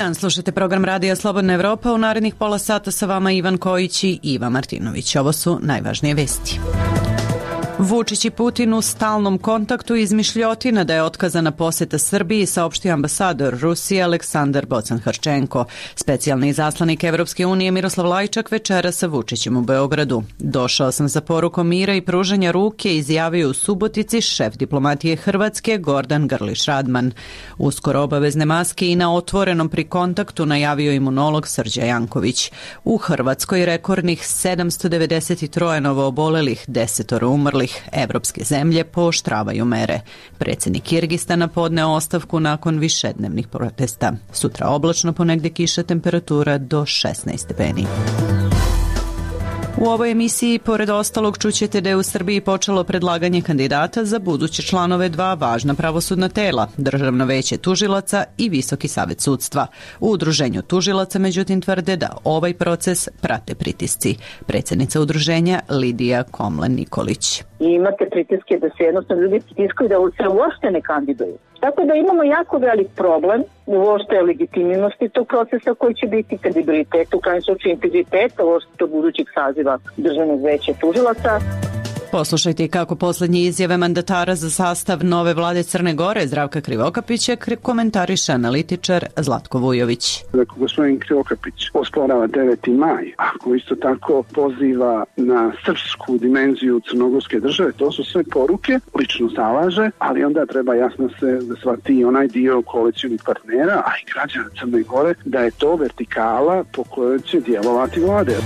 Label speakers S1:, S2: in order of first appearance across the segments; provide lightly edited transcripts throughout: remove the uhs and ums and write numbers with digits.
S1: dan, slušajte program Radija Slobodna Evropa. U narednih pola sata sa vama Ivan Kojić i Iva Martinović. Ovo su najvažnije vesti. Vučić i Putin u stalnom kontaktu, izmišljotina da je otkazana poseta Srbiji, saopštio ambasador Rusije Aleksandar Bocan-Hrčenko. Specijalni izaslanik Evropske unije Miroslav Lajčak večera sa Vučićem u Beogradu. Došao sam za porukom mira i pružanja ruke, izjavio u Subotici šef diplomatije Hrvatske Gordan Grlić Radman. Uskoro obavezne maske i na otvorenom pri kontaktu, najavio imunolog Srđa Janković. U Hrvatskoj rekordnih 793 novoobolelih, 10 umrlih. Evropske zemlje pooštravaju mere. Predsjednik Kirgistana podneo ostavku nakon višednevnih protesta. Sutra oblačno, ponegdje kiša, temperatura do 16 stepeni. U ovoj emisiji, pored ostalog, čućete da je u Srbiji počelo predlaganje kandidata za buduće članove dva važna pravosudna tela, Državno veće tužilaca i Visoki savet sudstva. U udruženju tužilaca, međutim, tvrde da ovaj proces prate pritisci. Predsjednica udruženja Lidija Komlen-Nikolić.
S2: I imate pritiske da se jednostavno ljudi pritiskaju da se uopšte ne kandiduju. Tako da imamo jako velik problem uopšte legitimnosti tog procesa koji će biti kredibilitet, u krajnjem slučaju integritet uopšte budućeg saziva Državnog veća tužilaca.
S1: Poslušajte kako posljednje izjave mandatara za sastav nove vlade Crne Gore Zdravka Krivokapića komentariše analitičar Zlatko Vujović.
S3: Dakle, gospodin Krivokapić osporava 9. maj, ako isto tako poziva na srpsku dimenziju crnogorske države, to su sve poruke, lično zalaže, ali onda treba jasno se da shvati onaj dio koalicijnih partnera, a i građana Crne Gore, da je to vertikala po kojoj će djelovati vlade.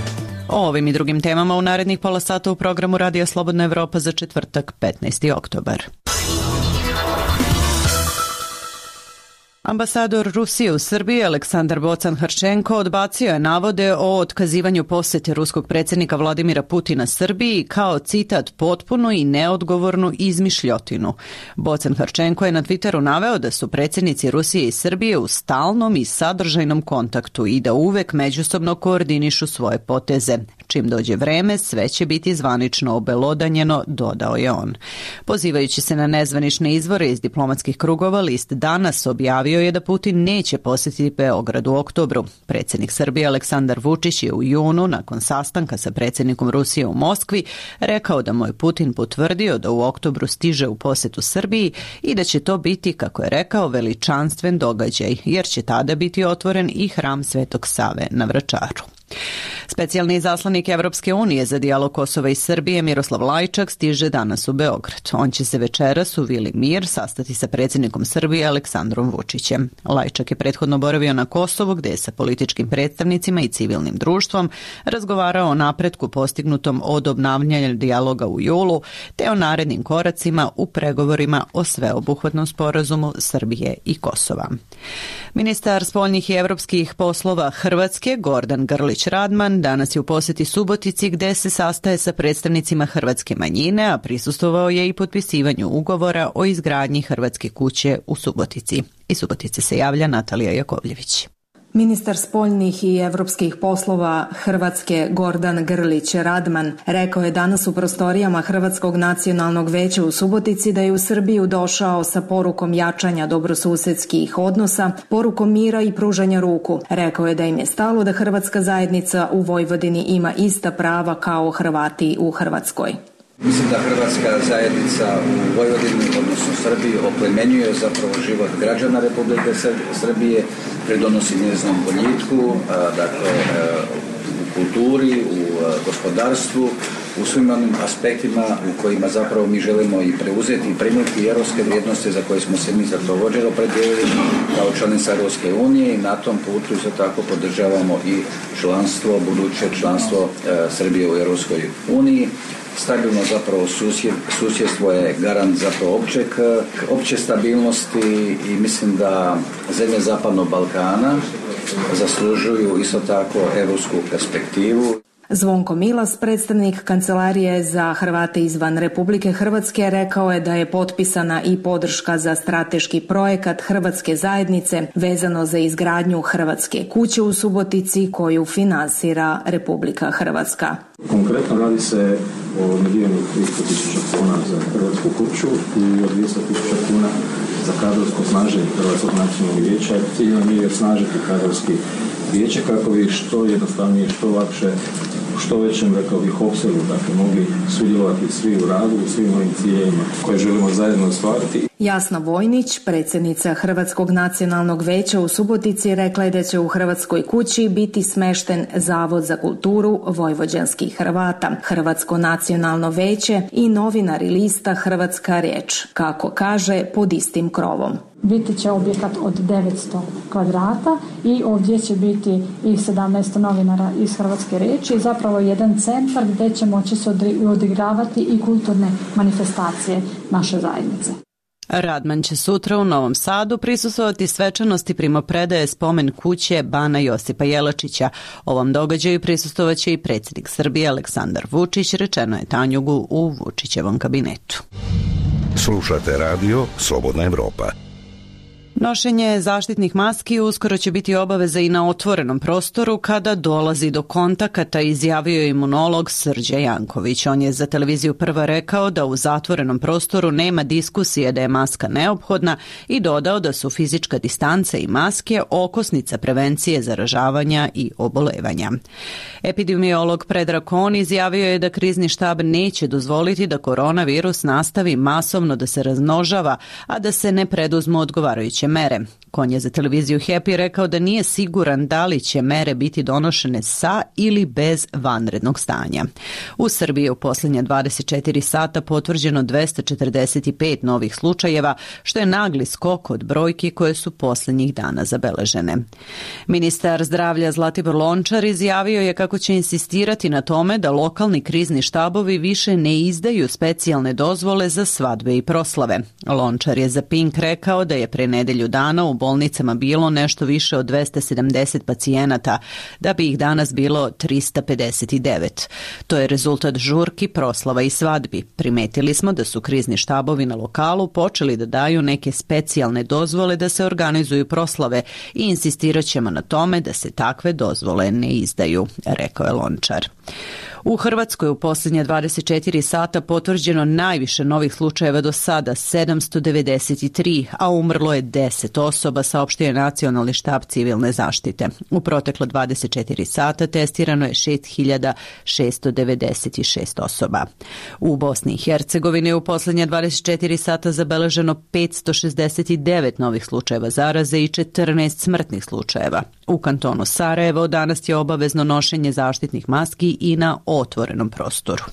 S1: O ovim i drugim temama u narednih pola sata u programu Radija Slobodna Evropa za četvrtak 15. oktobar. Ambasador Rusije u Srbiji Aleksandar Bocan-Hrčenko odbacio je navode o otkazivanju posete ruskog predsjednika Vladimira Putina Srbiji kao, citat, potpuno i neodgovornu izmišljotinu. Bocan-Hrčenko je na Twitteru naveo da su predsjednici Rusije i Srbije u stalnom i sadržajnom kontaktu i da uvek međusobno koordinišu svoje poteze. Čim dođe vreme, sve će biti zvanično obelodanjeno, dodao je on. Pozivajući se na nezvanične izvore iz diplomatskih krugova, list Danas objavio je da Putin neće posjetiti Beograd u oktobru. Predsjednik Srbije Aleksandar Vučić je u junu, nakon sastanka sa predsjednikom Rusije u Moskvi, rekao da mu je Putin potvrdio da u oktobru stiže u posjetu Srbiji i da će to biti, kako je rekao, veličanstven događaj, jer će tada biti otvoren i hram Svetog Save na Vračaru. Specijalni izaslanik Evropske unije za dijalog Kosova i Srbije Miroslav Lajčak stiže danas u Beograd. On će se večeras u Vili Mir sastati sa predsjednikom Srbije Aleksandrom Vučićem. Lajčak je prethodno boravio na Kosovu, gdje je sa političkim predstavnicima i civilnim društvom razgovarao o napretku postignutom od obnavljanja dijaloga u julu, te o narednim koracima u pregovorima o sveobuhvatnom sporazumu Srbije i Kosova. Ministar spoljnih i evropskih poslova Hrvatske Gordan Grlić Radman danas je u posjeti Subotici, gdje se sastaje sa predstavnicima hrvatske manjine, a prisustvovao je i potpisivanju ugovora o izgradnji hrvatske kuće u Subotici. Iz Subotice se javlja Natalija Jakovljević.
S4: Ministar spoljnih i evropskih poslova Hrvatske Gordan Grlić Radman rekao je danas u prostorijama Hrvatskog nacionalnog veća u Subotici da je u Srbiju došao sa porukom jačanja dobrosusedskih odnosa, porukom mira i pružanja ruku. Rekao je da im je stalo da hrvatska zajednica u Vojvodini ima ista prava kao Hrvati u Hrvatskoj.
S5: Mislim da hrvatska zajednica u Vojvodini, odnosno Srbiji, oplemenjuje zapravo život građana Republike Srbije, pridonosi njezinom boljitku, dakle u kulturi, u gospodarstvu, u svim onim aspektima u kojima zapravo mi želimo i preuzeti i primiti europske vrijednosti za koje smo se mi zapravo opredijelili kao članica Europske unije i na tom putu isto tako podržavamo i članstvo, buduće članstvo Srbije u Europskoj uniji. Stabilno zapravo susjedstvo je garant zapravo opće stabilnosti i mislim da zemlje Zapadnog Balkana zaslužuju isto tako europsku perspektivu.
S4: Zvonko Milas, predstavnik Kancelarije za Hrvate izvan Republike Hrvatske, rekao je da je potpisana i podrška za strateški projekat Hrvatske zajednice vezano za izgradnju Hrvatske kuće u Subotici koju finansira Republika Hrvatska.
S6: Konkretno radi se o milionu 300.000 kuna za Hrvatsku kuću i o 200.000 kuna za kadrovsko snaženje Hrvatskog nacionalnog vijeća. Cilj nam je osnažiti kadrovski vijeće kako bi što jednostavnije, što lakše, u što većem, rekao bih, opsegu, dakle, mogli sudjelovati svi u radu, u svim ovim ciljevima koje želimo zajedno ostvariti.
S4: Jasna Vojnić, predsjednica Hrvatskog nacionalnog vijeća u Subotici, rekla je da će u Hrvatskoj kući biti smešten Zavod za kulturu vojvođanskih Hrvata, Hrvatsko nacionalno vijeće i novinar i lista Hrvatska riječ, kako kaže, pod istim krovom.
S7: Biti će objekat od 900 kvadrata i ovdje će biti i 17 novinara iz Hrvatske riječi i zapravo jedan centar gdje će moći se odigravati i kulturne manifestacije naše zajednice.
S1: Radman će sutra u Novom Sadu prisustvovati svečanosti primopredaje spomen kuće Bana Josipa Jelačića. Ovom događaju prisustvovaće i predsjednik Srbije Aleksandar Vučić, rečeno je Tanjugu u Vučićevom kabinetu.
S8: Slušate radio Slobodna Evropa.
S1: Nošenje zaštitnih maski uskoro će biti obaveza i na otvorenom prostoru kada dolazi do kontakata, izjavio je imunolog Srđe Janković. On je za televiziju Prva rekao da u zatvorenom prostoru nema diskusije da je maska neophodna i dodao da su fizička distanca i maske okosnica prevencije zaražavanja i obolevanja. Epidemiolog Predrag Kon izjavio je da krizni štab neće dozvoliti da koronavirus nastavi masovno da se razmnožava, a da se ne preduzmu odgovarajuće mere. Kon je za televiziju Happy rekao da nije siguran da li će mere biti donošene sa ili bez vanrednog stanja. U Srbiji u posljednje 24 sata potvrđeno 245 novih slučajeva, što je nagli skok od brojki koje su posljednjih dana zabeležene. Ministar zdravlja Zlatibor Lončar izjavio je kako će insistirati na tome da lokalni krizni štabovi više ne izdaju specijalne dozvole za svadbe i proslave. Lončar je za Pink rekao da je pre nedelju dana u bolnicama bilo nešto više od 270 pacijenata, da bi ih danas bilo 359. To je rezultat žurki, proslava i svadbi. Primetili smo da su krizni štabovi na lokalu počeli da daju neke specijalne dozvole da se organizuju proslave i insistirat ćemo na tome da se takve dozvole ne izdaju, rekao je Lončar. U Hrvatskoj u posljednje 24 sata potvrđeno najviše novih slučajeva do sada, 793, a umrlo je 10 osoba, saopštio je Nacionalni štab civilne zaštite. U proteklo 24 sata testirano je 6696 osoba. U Bosni i Hercegovini u posljednje 24 sata zabeleženo 569 novih slučajeva zaraze i 14 smrtnih slučajeva. U kantonu Sarajevo danas je obavezno nošenje zaštitnih maski i na otvorenom prostoru.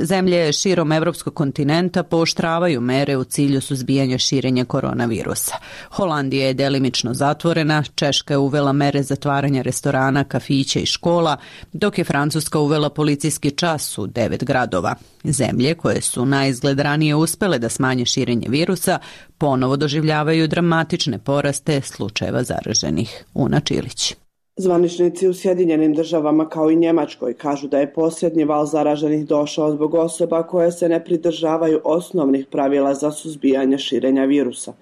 S1: Zemlje širom evropskog kontinenta pooštravaju mere u cilju suzbijanja širenja koronavirusa. Holandija je delimično zatvorena, Češka je uvela mere zatvaranja restorana, kafića i škola, dok je Francuska uvela policijski čas u 9 gradova. Zemlje koje su naizgled ranije uspele da smanje širenje virusa ponovo doživljavaju dramatične poraste slučajeva zaraženih. Una Čilić.
S9: Zvaničnici u Sjedinjenim državama kao i Njemačkoj kažu da je posljednji val zaraženih došao zbog osoba koje se ne pridržavaju osnovnih pravila za suzbijanje širenja virusa.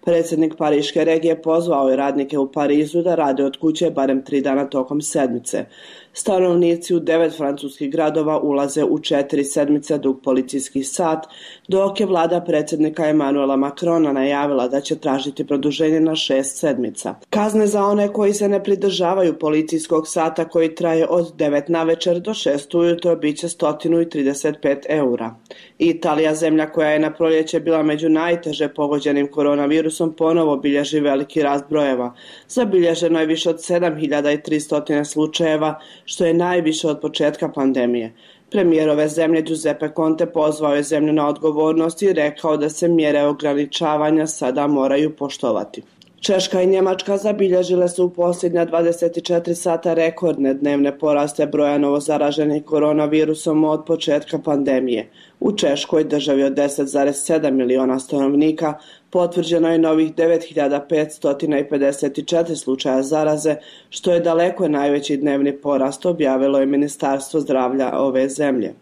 S9: Predsjednik Pariške regije pozvao je radnike u Parizu da rade od kuće barem 3 dana tokom sedmice. Stanovnici u 9 francuskih gradova ulaze u 4 sedmice dug policijski sat, dok je vlada predsjednika Emanuela Macrona najavila da će tražiti produženje na 6 sedmica. Kazne za one koji se ne pridržavaju policijskog sata koji traje od 9 navečer do 6 ujutro bit će 135 eura. Italija, zemlja koja je na proljeće bila među najteže pogođenim koronavirusom, ponovo bilježi veliki rast brojeva. Zabilježeno je više od 7300 slučajeva, što je najviše od početka pandemije. Premijer ove zemlje Giuseppe Conte pozvao je zemlju na odgovornost i rekao da se mjere ograničavanja sada moraju poštovati. Češka i Njemačka zabilježile su u posljednja 24 sata rekordne dnevne poraste broja novozaraženih koronavirusom od početka pandemije. U Češkoj, državi od 10,7 miliona stanovnika, potvrđeno je novih 9554 slučaja zaraze, što je daleko najveći dnevni porast, objavilo je Ministarstvo zdravlja ove zemlje.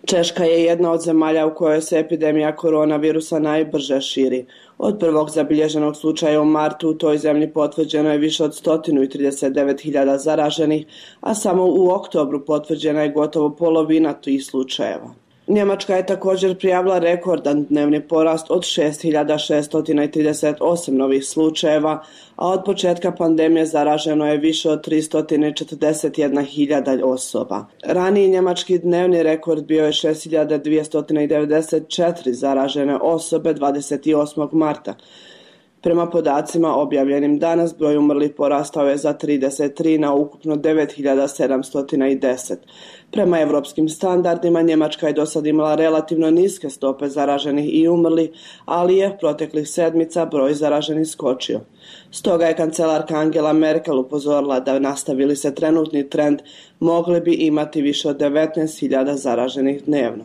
S9: Češka je jedna od zemalja u kojoj se epidemija koronavirusa najbrže širi. Od prvog zabilježenog slučaja u martu u toj zemlji potvrđeno je više od 139.000 zaraženih, a samo u oktobru potvrđena je gotovo polovina tih slučajeva. Njemačka je također prijavila rekordan dnevni porast od 6.638 novih slučajeva, a od početka pandemije zaraženo je više od 341.000 osoba. Raniji njemački dnevni rekord bio je 6.294 zaražene osobe 28. marta. Prema podacima objavljenim danas, broj umrlih porastao je za 33 na ukupno 9.710. Prema evropskim standardima, Njemačka je do sad imala relativno niske stope zaraženih i umrlih, ali je proteklih sedmica broj zaraženih skočio. Stoga je kancelarka Angela Merkel upozorila da nastavili se trenutni trend, mogli bi imati više od 19.000 zaraženih dnevno.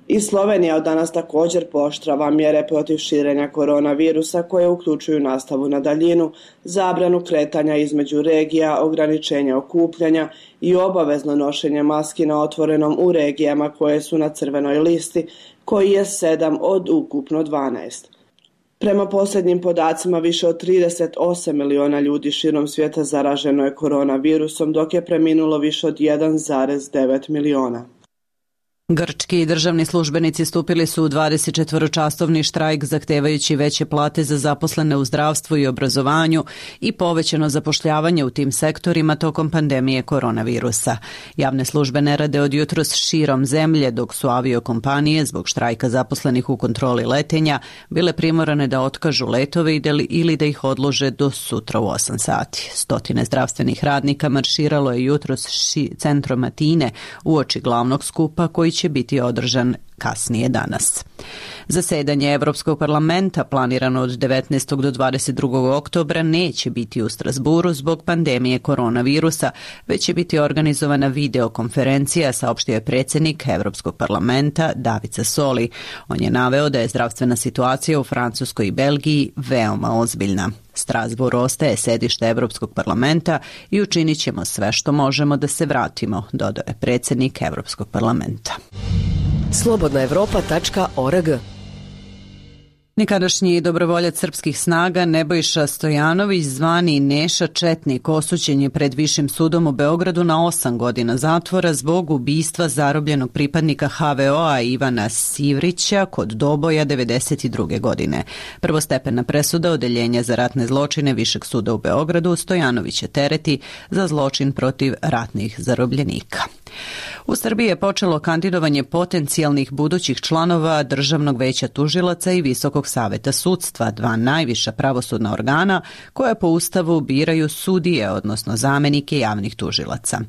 S9: I Slovenija od danas također pooštrava mjere protiv širenja koronavirusa koje uključuju nastavu na daljinu, zabranu kretanja između regija, ograničenja okupljanja i obavezno nošenje maski na otvorenom u regijama koje su na crvenoj listi, koji je 7 od ukupno 12. Prema posljednjim podacima, više od 38 miliona ljudi širom svijeta zaraženo je koronavirusom, dok je preminulo više od 1,9 miliona.
S1: Grčki državni službenici stupili su u 24-časovni štrajk zahtevajući veće plate za zaposlene u zdravstvu i obrazovanju i povećano zapošljavanje u tim sektorima tokom pandemije koronavirusa. Javne službe ne rade od jutros širom zemlje, dok su aviokompanije zbog štrajka zaposlenih u kontroli letenja bile primorane da otkažu letove ili da ih odlože do sutra u 8 sati. Stotine zdravstvenih radnika marširalo je jutros centrom Atine uoči glavnog skupa koji će biti održan kasnije danas. Zasedanje Evropskog parlamenta planirano od 19. do 22. oktobra neće biti u Strasburu zbog pandemije koronavirusa, već će biti organizovana videokonferencija, saopštio je predsjednik Evropskog parlamenta David Sassoli. On je naveo da je zdravstvena situacija u Francuskoj i Belgiji veoma ozbiljna. Strasbourg ostaje sedište Evropskog parlamenta i učinit ćemo sve što možemo da se vratimo, dodao je predsjednik Evropskog parlamenta.
S10: Slobodnaevropa.org.
S1: Nekadašnji dobrovoljac srpskih snaga Nebojša Stojanović, zvani Neša Četnik, osuđen je pred Višim sudom u Beogradu na 8 godina zatvora zbog ubistva zarobljenog pripadnika HVO-a Ivana Sivrića kod Doboja 1992. godine. Prvostepena presuda Odeljenja za ratne zločine Višeg suda u Beogradu Stojanovića tereti za zločin protiv ratnih zarobljenika. U Srbiji je počelo kandidovanje potencijalnih budućih članova Državnog veća tužilaca i Visokog saveta sudstva, dva najviša pravosudna organa koja po Ustavu biraju sudije, odnosno zamenike javnih tužilaca.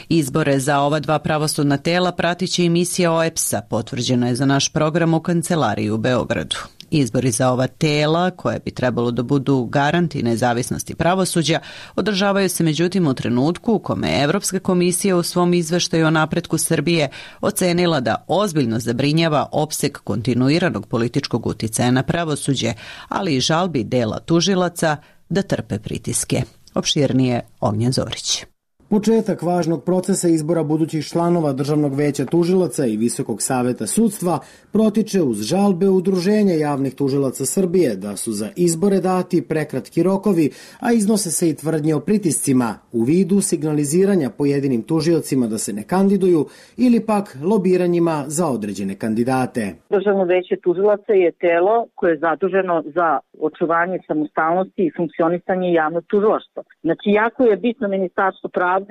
S1: Izbore za ova dva pravosudna tela pratit će emisija OEPS-a, potvrđena je za naš program u kancelariji u Beogradu. Izbori za ova tela, koje bi trebalo da budu garanti nezavisnosti pravosuđa, održavaju se međutim u trenutku u kome je Evropska komisija u svom izveštaju o napretku Srbije ocenila da ozbiljno zabrinjava opseg kontinuiranog političkog uticaja na pravosuđe, ali i žalbi dela tužilaca da trpe pritiske. Opširnije Ognjen Zorić.
S11: Početak važnog procesa izbora budućih članova Državnog veća tužilaca i Visokog saveta sudstva protiče uz žalbe Udruženja javnih tužilaca Srbije da su za izbore dati prekratki rokovi, a iznose se i tvrdnje o pritiscima u vidu signaliziranja pojedinim tužiocima da se ne kandiduju ili pak lobiranjima za određene kandidate.
S2: Državno veće tužilaca je telo koje je zaduženo za očuvanje samostalnosti i funkcionisanje javnog tužilaštva. Znači, jako je bitno Ministarstvo pravde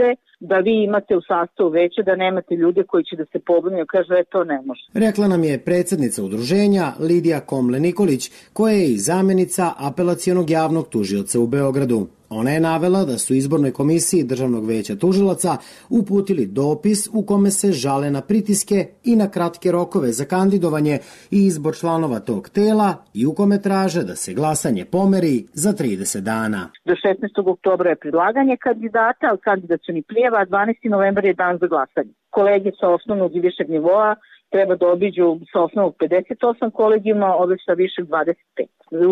S2: da vi imate u sastavu veće, da nemate ljude koji će da se pobrinu i kažu to ne može.
S11: Rekla nam je predsjednica udruženja Lidija Komle-Nikolić, koja je i zamjenica apelacionog javnog tužioca u Beogradu. Ona je navela da su izbornoj komisiji Državnog veća tužilaca uputili dopis u kome se žale na pritiske i na kratke rokove za kandidovanje i izbor članova tog tela i u kome traže da se glasanje pomeri za 30 dana.
S2: Do 16. oktobra je predlaganje kandidata, ali kandidacioni prijava, a 12. novembar je dan za glasanje. Kolege sa osnovnog i višeg nivoa treba da obiđu sa osnovnog 58 kolegijuma, ove sa višeg 25.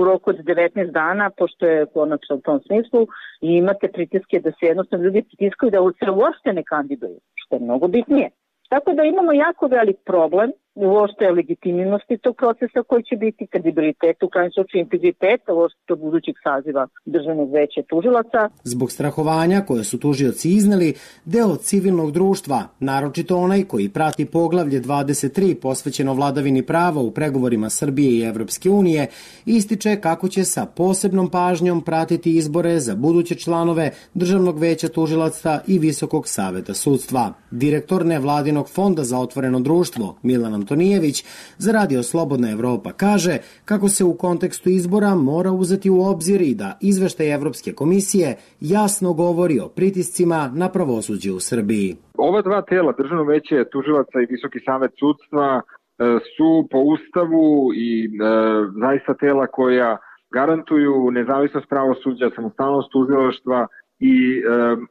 S2: U roku od 19 dana, pošto je konačno u tom smislu, i imate pritiske da se jednostavno ljudi pritiskaju da se uopšte ne kandiduju, što je mnogo bitnije. Tako da imamo jako velik problem uopšte legitimnosti tog procesa koji će biti, kredibilitet, u krajnjem slučaju integriteta uopšte budućeg saziva Državnog veća tužilaca.
S11: Zbog strahovanja koje su tužioci izneli, deo civilnog društva, naročito onaj koji prati poglavlje 23 posvećeno vladavini prava u pregovorima Srbije i Evropske unije, ističe kako će sa posebnom pažnjom pratiti izbore za buduće članove Državnog veća tužilaca i Visokog saveta sudstva. Direktor nevladinog fonda za otvoreno društvo, Milan Antonijević, za Radio Slobodna Evropa kaže kako se u kontekstu izbora mora uzeti u obzir i da izveštaj Evropske komisije jasno govori o pritiscima na pravosuđe u Srbiji.
S10: Ova dva tela, Državno veće tužilaca i Visoki savet sudstva, su po Ustavu i zaista tela koja garantuju nezavisnost pravosuđa, samostalnost tužilaštva i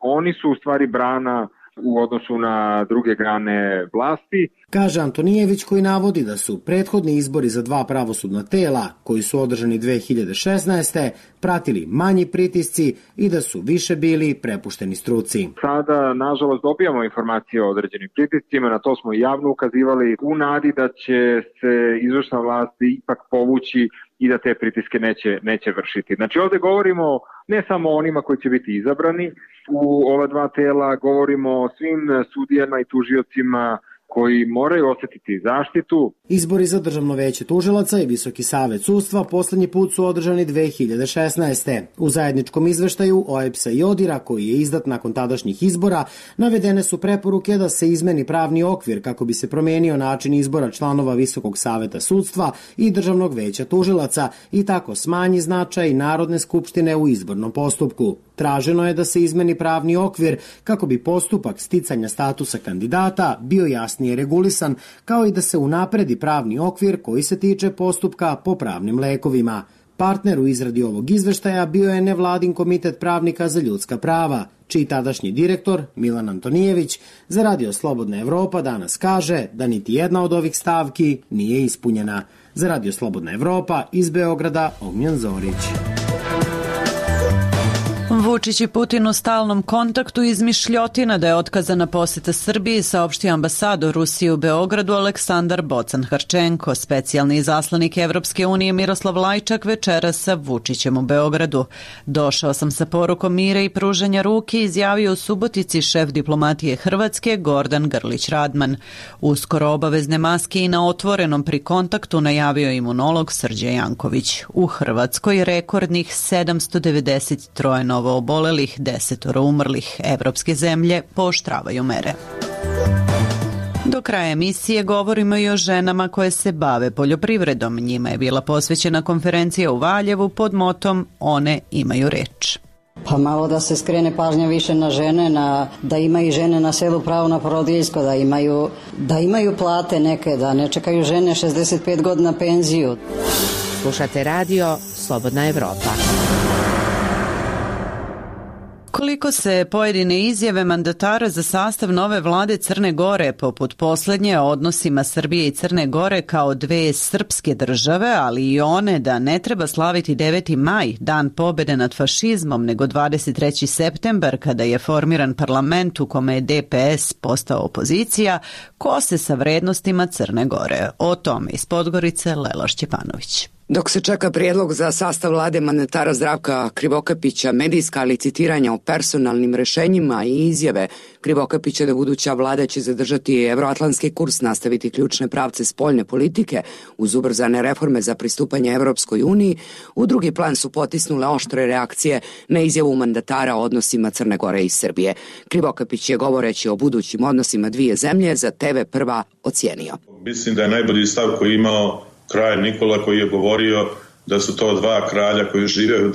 S10: oni su u stvari brana u odnosu na druge grane vlasti.
S11: Kaže Antonijević, koji navodi da su prethodni izbori za dva pravosudna tela, koji su održani 2016. pratili manji pritisci i da su više bili prepušteni struci.
S10: Sada, nažalost, dobijamo informacije o određenim pritiscima, na to smo i javno ukazivali u nadi da će se izvršna vlast ipak povući i da te pritiske neće vršiti. Znači ovde govorimo ne samo o onima koji će biti izabrani u ova dva tela, govorimo o svim sudijama i tužiocima koji moraju osjetiti zaštitu.
S11: Izbori za Državno veće tužilaca i Visoki savet sudstva poslednji put su održani 2016. U zajedničkom izveštaju OEBS-a i ODIR-a, koji je izdat nakon tadašnjih izbora, navedene su preporuke da se izmeni pravni okvir kako bi se promenio način izbora članova Visokog saveta sudstva i Državnog veća tužilaca i tako smanji značaj Narodne skupštine u izbornom postupku. Traženo je da se izmeni pravni okvir kako bi postupak sticanja statusa kandidata bio jasnije regulisan, kao i da se unapredi pravni okvir koji se tiče postupka po pravnim lekovima. Partner u izradi ovog izveštaja bio je nevladin komitet pravnika za ljudska prava, čiji tadašnji direktor, Milan Antonijević, za Radio Slobodna Evropa danas kaže da niti jedna od ovih stavki nije ispunjena. Za Radio Slobodna Evropa iz Beograda, Ognjen Zorić.
S1: Vučić i Putin u stalnom kontaktu, izmišljotina da je otkazana poseta Srbiji, saopštio ambasador Rusije u Beogradu Aleksandar Bocan-Harčenko. Specijalni izaslanik Evropske unije Miroslav Lajčak večera sa Vučićem u Beogradu. Došao sam sa porukom mira i pružanja ruke, izjavio u Subotici šef diplomatije Hrvatske Gordan Grlić Radman. Uskoro obavezne maske i na otvorenom pri kontaktu najavio imunolog Srđe Janković. U Hrvatskoj rekordnih 793 novo obolelih, 10 umrlih. Evropske zemlje pooštravaju mere. Do kraja emisije govorimo i o ženama koje se bave poljoprivredom. Njima je bila posvećena konferencija u Valjevu pod motom One imaju reč.
S12: Pa malo da se skrene pažnja više na žene, da imaju žene na selu pravo na porodiljsko, da imaju plate neke, da ne čekaju žene 65 godina penziju.
S13: Slušate radio Slobodna Evropa.
S1: Koliko se pojedine izjave mandatara za sastav nove vlade Crne Gore, poput poslednje o odnosima Srbije i Crne Gore kao dve srpske države, ali i one da ne treba slaviti 9. maj, dan pobede nad fašizmom, nego 23. septembar, kada je formiran parlament u kome je DPS postao opozicija, kose sa vrednostima Crne Gore. O tome iz Podgorice Lela Šćepanović.
S14: Dok se čeka prijedlog za sastav vlade mandatara Zdravka Krivokapića, medijska licitiranja o personalnim rešenjima i izjave Krivokapića da buduća vlada će zadržati evroatlantski kurs, nastaviti ključne pravce spoljne politike uz ubrzane reforme za pristupanje Evropskoj uniji, u drugi plan su potisnule oštre reakcije na izjavu mandatara o odnosima Crne Gore i Srbije. Krivokapić je, govoreći o budućim odnosima dvije zemlje, za TV Prva ocijenio.
S15: Mislim da je najbolji stav koji je imao kralj Nikola, koji je govorio da su to dva kralja koji žive u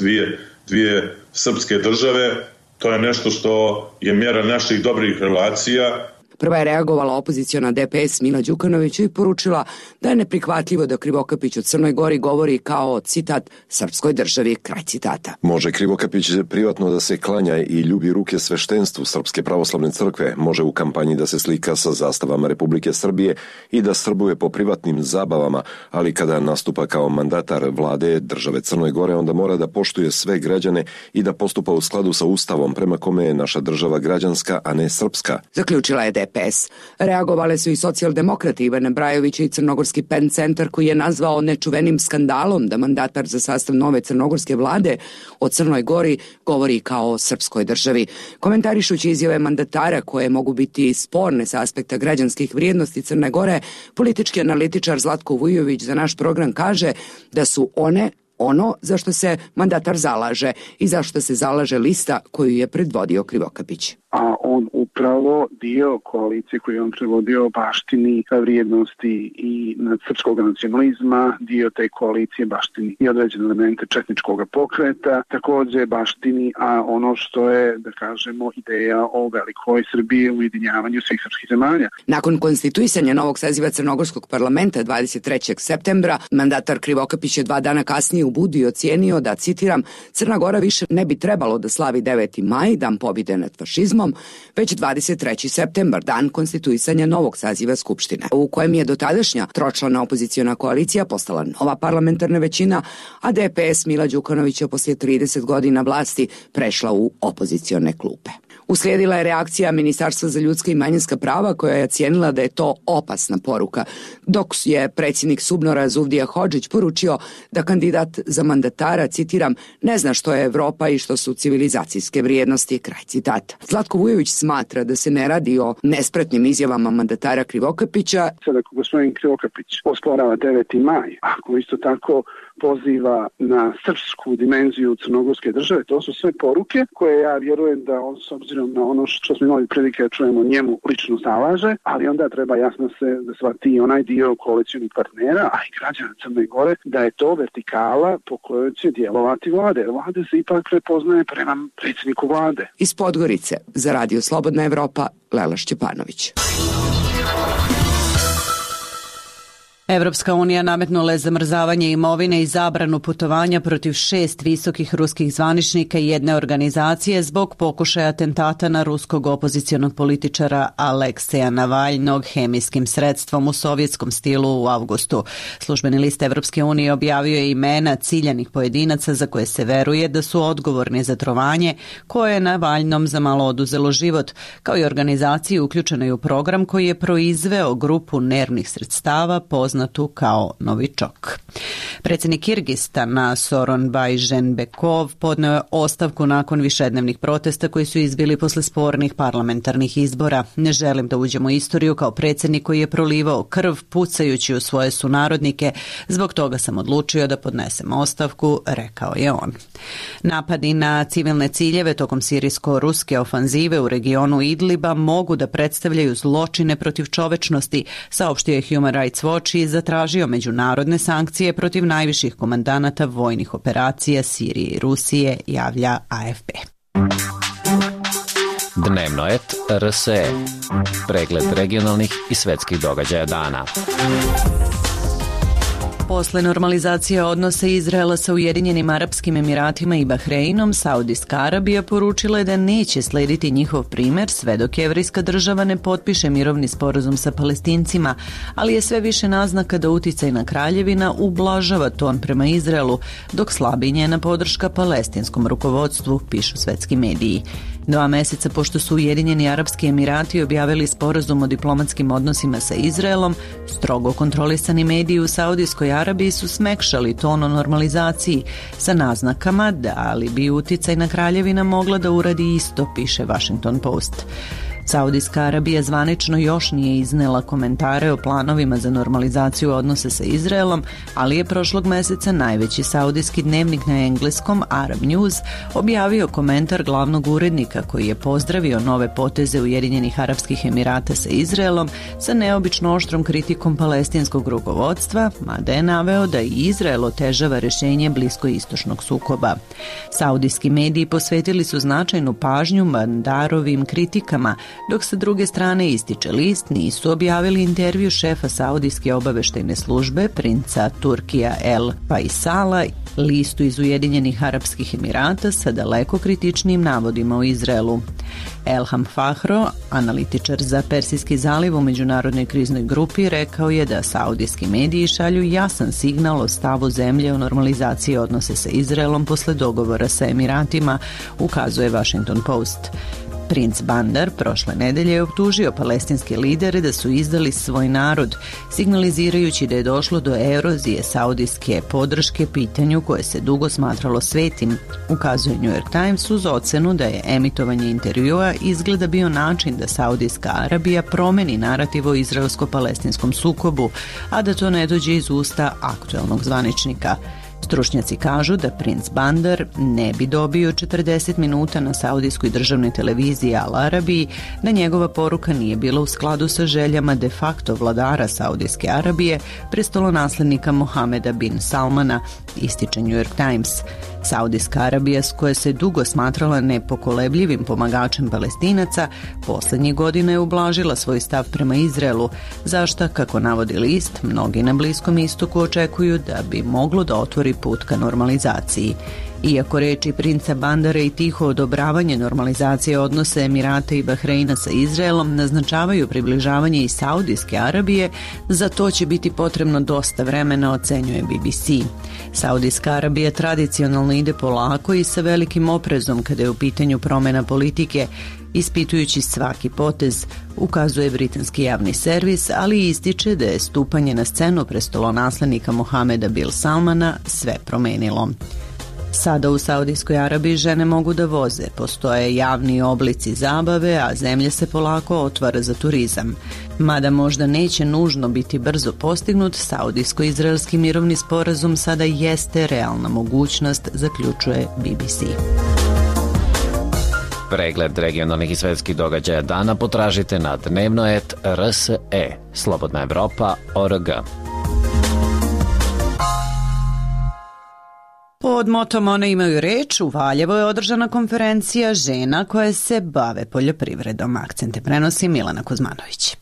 S15: dvije srpske države. To je nešto što je mjera naših dobrih relacija.
S14: Prva je reagovala opoziciona DPS Mila Đukanović i poručila da je neprihvatljivo da Krivokapić o Crnoj Gori govori kao, citat, srpskoj državi, kraj citata.
S16: Može Krivokapić privatno da se klanja i ljubi ruke sveštenstvu Srpske pravoslavne crkve, može u kampanji da se slika sa zastavama Republike Srbije i da srbuje po privatnim zabavama, ali kada nastupa kao mandatar vlade države Crnoj Gore, onda mora da poštuje sve građane i da postupa u skladu sa Ustavom prema kome je naša država građanska, a ne srpska.
S14: Zaključila je DPS. Reagovale su i socijaldemokrati Ivana Brajović i Crnogorski PEN centar koji je nazvao nečuvenim skandalom da mandatar za sastav nove crnogorske vlade o Crnoj Gori govori kao o srpskoj državi. Komentarišući izjave mandatara koje mogu biti sporne sa aspekta građanskih vrijednosti Crne Gore, politički analitičar Zlatko Vujović za naš program kaže da su one ono za što se mandatar zalaže i za što se zalaže lista koju je predvodio Krivokapić.
S3: A on upravo dio koalicije koju on predvodio baštini vrijednosti i srpskog nacionalizma, dio te koalicije baštini i određene elemente četničkog pokreta, također baštini, a ono što je, da kažemo, ideja o velikoj Srbiji u ujedinjavanju svih srpskih zemalja.
S14: Nakon konstituisanja novog saziva Crnogorskog parlamenta 23. septembra, mandatar Krivokapić je 2 dana kasnije u Budi i ocijenio da, citiram, Crna Gora više ne bi trebalo da slavi 9. maj, dan pobjede nad fašizmom, već 23. septembar, dan konstituisanja novog saziva Skupštine, u kojem je dotadašnja tročlana opoziciona koalicija postala nova parlamentarna većina, a DPS Mila Đukanovića poslije 30 godina vlasti prešla u opozicione klupe. Uslijedila je reakcija Ministarstva za ljudska i manjinska prava koja je ocijenila da je to opasna poruka, dok je predsjednik Subnora Zuvdija Hodžić poručio da kandidat za mandatara, citiram, ne zna što je Evropa i što su civilizacijske vrijednosti, kraj citata. Zlatko Vujović smatra da se ne radi o nespretnim izjavama mandatara Krivokapića.
S3: Sada ako gospodin Krivokapić osporava 9. maj, ako isto tako poziva na srpsku dimenziju crnogorske države, to su sve poruke koje ja vjerujem da on, s obzirom na ono što smo imali prilike da čujemo, njemu lično zalaže, ali onda treba jasno se da shvati onaj dio koalicijnih partnera, a i građana Crne Gore, da je to vertikala po kojoj će djelovati vlade. Vlade se ipak prepoznaje prema predsjedniku vlade.
S14: Iz Podgorice za Radio Slobodna Evropa, Lela Šćepanović.
S1: Evropska unija nametnula je zamrzavanje imovine i zabranu putovanja protiv 6 visokih ruskih zvaničnika i jedne organizacije zbog pokušaja atentata na ruskog opozicionog političara Alekseja Navaljnog hemijskim sredstvom u sovjetskom stilu u avgustu. Službeni list Evropske unije objavio je imena ciljanih pojedinaca za koje se veruje da su odgovorni za trovanje koje je Navaljnom za malo oduzelo život, kao i organizaciji uključenoj u program koji je proizveo grupu nervnih sredstava poznatu kao Novičok. Predsjednik Kirgistana Soronbaj Ženbekov podneo je ostavku nakon višednevnih protesta koji su izbili posle spornih parlamentarnih izbora. Ne želim da uđem u istoriju kao predsjednik koji je prolivao krv pucajući u svoje sunarodnike. Zbog toga sam odlučio da podnesem ostavku, rekao je on. Napadi na civilne ciljeve tokom sirijsko-ruske ofanzive u regionu Idliba mogu da predstavljaju zločine protiv čovečnosti, saopštio je Human Rights Watch i zatražio međunarodne sankcije protiv najviših komandanata vojnih operacija Sirije i Rusije, javlja AFP.
S17: Dnevno et RSE. Pregled regionalnih i svetskih događaja dana.
S1: Posle normalizacije odnosa Izraela sa Ujedinjenim Arapskim Emiratima i Bahreinom, Saudijska Arabija poručila je da neće slediti njihov primer sve dok Jevrejska država ne potpiše mirovni sporazum sa Palestincima, ali je sve više naznaka da uticajna kraljevina ublažava ton prema Izraelu, dok slabi njena podrška palestinskom rukovodstvu, pišu svetski mediji. 2 meseca pošto su Ujedinjeni Arapski Emirati objavili sporazum o diplomatskim odnosima sa Izraelom, strogo kontrolisani mediji u Saudijskoj Arabiji su smekšali ton o normalizaciji sa naznakama da li bi uticajna kraljevina mogla da uradi isto, piše Washington Post. Saudijska Arabija zvanično još nije iznela komentare o planovima za normalizaciju odnosa sa Izraelom, ali je prošlog meseca najveći saudijski dnevnik na engleskom Arab News objavio komentar glavnog urednika koji je pozdravio nove poteze Ujedinjenih Arapskih Emirata sa Izraelom sa neobično oštrom kritikom palestinskog rukovodstva, mada je naveo da i Izrael otežava rješenje bliskoistočnog sukoba. Saudijski mediji posvetili su značajnu pažnju Bandarovim kritikama, dok sa druge strane, ističe list, nisu objavili intervju šefa Saudijske obaveštajne službe, princa Turkija El Faisala, listu iz Ujedinjenih Arapskih Emirata sa daleko kritičnim navodima o Izraelu. Elham Fahro, analitičar za Persijski zaliv u međunarodnoj kriznoj grupi, rekao je da saudijski mediji šalju jasan signal o stavu zemlje o normalizaciji odnose sa Izraelom posle dogovora sa Emiratima, ukazuje Washington Post. Princ Bandar prošle nedelje je optužio palestinske lidere da su izdali svoj narod, signalizirajući da je došlo do erozije saudijske podrške pitanju koje se dugo smatralo svetim, ukazuje New York Times uz ocenu da je emitovanje intervjua izgleda bio način da Saudijska Arabija promeni narativ o izraelsko-palestinskom sukobu, a da to ne dođe iz usta aktuelnog zvaničnika. Stručnjaci kažu da Princ Bandar ne bi dobio 40 minuta na saudijskoj državnoj televiziji Al Arabiji da njegova poruka nije bila u skladu sa željama de facto vladara Saudijske Arabije, prestolonaslednika Mohameda bin Salmana, ističe New York Times. Saudijska Arabija, s koje se dugo smatrala nepokolebljivim pomagačem Palestinaca, posljednjih godina je ublažila svoj stav prema Izraelu, zašto, kako navodi list, mnogi na Bliskom istoku očekuju da bi moglo da otvori put ka normalizaciji. Iako reči princa Bandara i tiho odobravanje normalizacije odnose Emirata i Bahreina sa Izraelom naznačavaju približavanje i Saudijske Arabije, za to će biti potrebno dosta vremena, ocenjuje BBC. Saudijska Arabija tradicionalno ide polako i sa velikim oprezom kada je u pitanju promjena politike, ispitujući svaki potez, ukazuje britanski javni servis, ali ističe da je stupanje na scenu prestolonaslednika Mohameda bin Salmana sve promenilo. Sada u Saudijskoj Arabiji žene mogu da voze, postoje javni oblici zabave, a zemlja se polako otvara za turizam. Mada možda neće nužno biti brzo postignut, saudijsko-izraelski mirovni sporazum sada jeste realna mogućnost, zaključuje BBC.
S17: Pregled regionalnih i svetskih događaja dana potražite na dnevno.rs.e, Slobodna Evropa.org.
S1: Pod motom One imaju reč u Valjevu je održana konferencija žena koje se bave poljoprivredom. Akcente prenosi Milena Kuzmanović.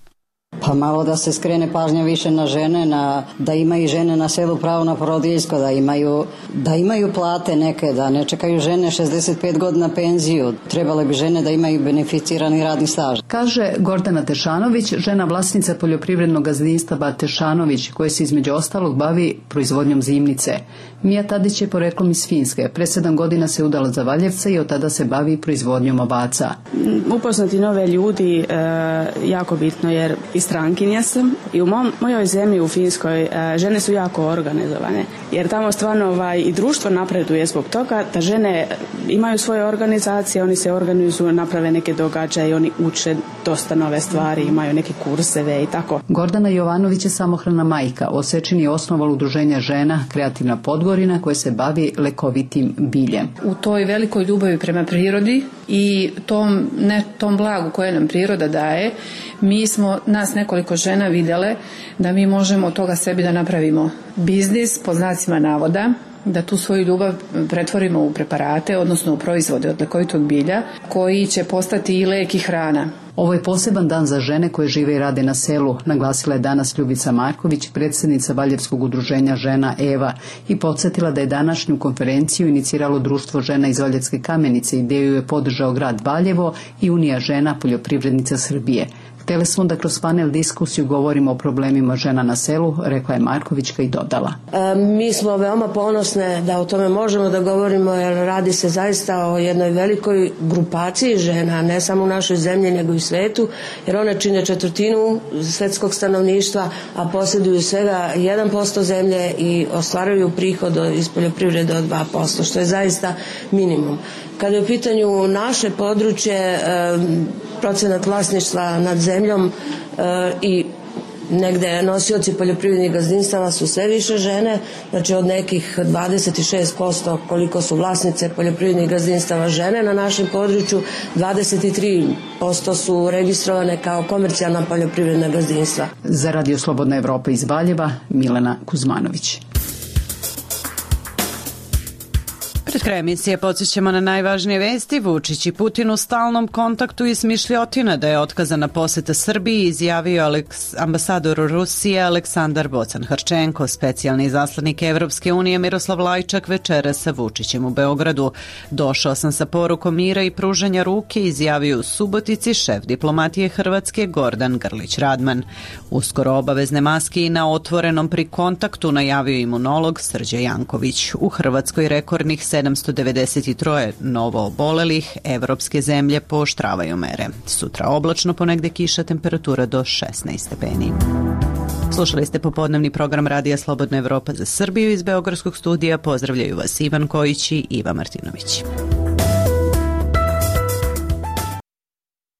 S12: Pa malo da se skrene pažnja više na žene, da imaju žene na selu pravo na porodiljsko, da imaju plate neke, da ne čekaju žene 65 godina penziju. Trebale bi žene da imaju beneficirani radni staž.
S18: Kaže Gordana Tešanović, žena vlasnica poljoprivrednog gazdinstva Tešanović, koja se između ostalog bavi proizvodnjom zimnice. Mija Tadić je poreklom iz Finske. Pre 7 godina se udala za Valjevca i od tada se bavi proizvodnjom ovaca.
S19: Upoznati nove ljudi jako bitno, jer i strankinja sam i u mojoj zemlji u Finskoj žene su jako organizovane, jer tamo stvarno i društvo napreduje zbog toga da žene imaju svoje organizacije, oni se organizuju, naprave neke događaje, oni uče dosta nove stvari, imaju neke kurseve i tako.
S18: Gordana Jovanović je samohrana majka. Osečin je osnovala udruženje žena Kreativna Podgorina koje se bavi lekovitim biljem.
S20: U toj velikoj ljubavi prema prirodi i tom blagu koje nam priroda daje, mi smo nas nekoliko žena vidjele da mi možemo od toga sebi da napravimo biznis, po znacima navoda, da tu svoju ljubav pretvorimo u preparate, odnosno u proizvode od lekovitog bilja, koji će postati i lek i hrana.
S18: Ovo je poseban dan za žene koje žive i rade na selu, naglasila je danas Ljubica Marković, predsjednica Valjevskog udruženja žena Eva, i podsjetila da je današnju konferenciju iniciralo Društvo žena iz Valjevske Kamenice, ideju je podržao grad Valjevo i Unija žena poljoprivrednica Srbije. Htjeli smo da kroz panel diskusiju govorimo o problemima žena na selu, rekla je Markovićka i dodala.
S21: Mi smo veoma ponosne da o tome možemo da govorimo, jer radi se zaista o jednoj velikoj grupaciji žena, ne samo u našoj zemlji nego i u svetu, jer one čine 1/4 svetskog stanovništva, a posjeduju svega 1% zemlje i ostvaruju prihod iz poljoprivrede od 2%, što je zaista minimum. Kada je u pitanju naše područje, procenat vlasništva nad zemljom i negde nosioci poljoprivrednih gazdinstava su sve više žene, znači od nekih 26% koliko su vlasnice poljoprivrednih gazdinstava žene na našem području, 23% su registrovane kao komercijalna poljoprivredna gazdinstva.
S18: Za Radio Slobodna Evropa iz Valjeva, Milena Kuzmanović.
S1: Pred kraj emisije podsjećamo na najvažnije vesti. Vučić i Putin u stalnom kontaktu i smišljotina da je otkazana poseta Srbiji, izjavio ambasador Rusije Aleksandar Bocan-Harčenko. Specijalni izaslanik Evropske unije Miroslav Lajčak večera sa Vučićem u Beogradu. Došao sam sa porukom mira i pružanja ruke, izjavio u Subotici šef diplomatije Hrvatske Gordan Grlić-Radman. Uskoro obavezne maske i na otvorenom pri kontaktu, najavio imunolog Srđe Janković. U Hrvatskoj rekordnih 7 793 novo obolelih, evropske zemlje pooštravaju mere. Sutra oblačno, ponegde kiša, temperatura do 16 stepeni. Slušali ste popodnevni program Radija Slobodna Evropa za Srbiju iz Beogradskog studija. Pozdravljaju vas Ivan Kojić i Iva Martinović.